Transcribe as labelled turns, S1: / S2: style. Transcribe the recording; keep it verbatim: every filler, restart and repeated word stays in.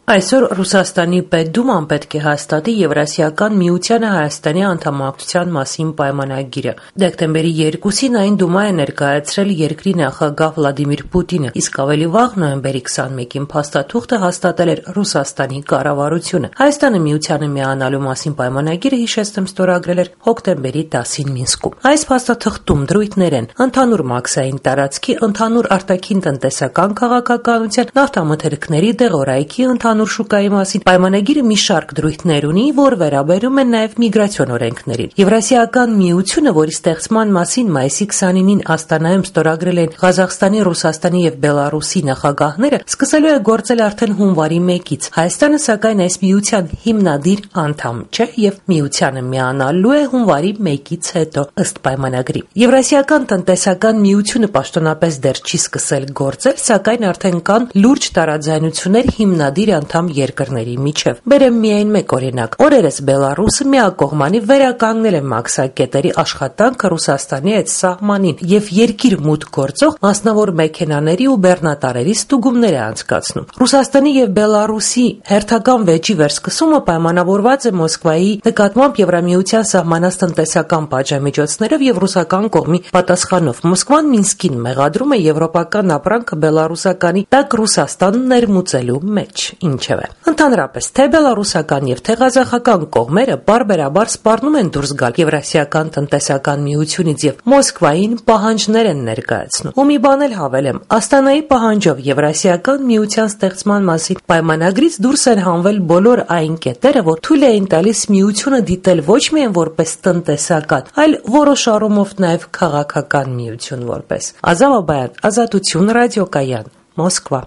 S1: Այսօր Ռուսաստանի Պետդուման պետք է հաստատի Եվրասիական միությանը Հայաստանի անդամակցության մասին պայմանագիրը։ Դեկտեմբերի երկուսին այն Դումա է ներկայացրել երկրի նախագահ Վլադիմիր Պուտինը, իսկ ավելի վաղ նոյեմբերի քսանմեկին փաստաթուղթը հաստատել էր Ռուսաստանի կառավարությունը։ Հայաստանը միությանը միանալու մասին պայմանագիրը, հիշեցնեմ, ստորագրել էր հոկտեմբերի տասին Մինսկում։ Այս փաստաթղթում դրույթներ են ընդհանուր մաքսային տարածքի, ընդհանուր արտաքին տնտեսական քաղաքականության, նավթամթերքների, դեղորայքի, ընդհանուր շուկայի մասին պայմանագիրը մի շարք դրույթներ ունի, որ վերաբերում են նաև միգրացիոն օրենքներին։ Եվրասիական միությունը, որի ստեղծման մասին մայիսի քսանինին Աստանայում ստորագրել են Ղազախստանի, Ռուսաստանի եւ Բելարուսի նախագահները, սկսելու է գործել արդեն հունվարի մեկից։ Հայաստանը, սակայն, այս միության հիմնադիր անդամ չէ եւ միությանը միանալու է հունվարի մեկից հետո, ըստ պայմանագրի։ Եվրասիական տնտեսական միությունը պաշտոնապես դեռ չի սկսել գործել, սակայն արդեն կան լուրջ տարաձայնություններ հիմնադիր անդամ երկրների միջև։ Բերեմ միայն մեկ օրինակ։ Օրերս Բելարուսը միակողմանի վերականգնել է մաքսակետերի աշխատանքը Ռուսաստանի այդ սահմանին եւ երկիր մուտք գործող մասնավոր մեքենաների ու բեռնատարերի ստուգումներ է անցկացնում։ Ռուսաստանի եւ Բելարուսի հերթական վեճի վերսկսումը պայմանավորված է Մոսկվայի նկատմամբ Եվրամիության սահմանած տնտեսական պատժամիջոցներով եւ ռուսական կողմի պատասխանով։ Մոսկվան Մինսկին մեղադրում է եվրոպական ապրանքը բելարուսականի տակ Ռուսաստանն ներմուծելու մեջ։ Ինչևէ, ընդհանրապես, թե բելարուսական եւ թե ղազախական կողմերը բարբերաբար սպառնում են դուրս գալ Եվրասիական տնտեսական միությունից եւ Մոսկվային պահանջներ են ներկայացնում։ Ու մի բան էլ հավելեմ, Աստանայի պահանջով Եվրասիական միության ստեղծման մասին պայմանագրից դուրս են հանվել բոլոր այն կետերը, որ թույլ էին տալիս միությունը դիտել ոչ միայն որպես տնտեսական, այլ որոշ առումով նաեւ քաղաքական միություն որպես։ Ազատ Բաբայան, Ազատություն, ռադիոկայան, Մոսկվա։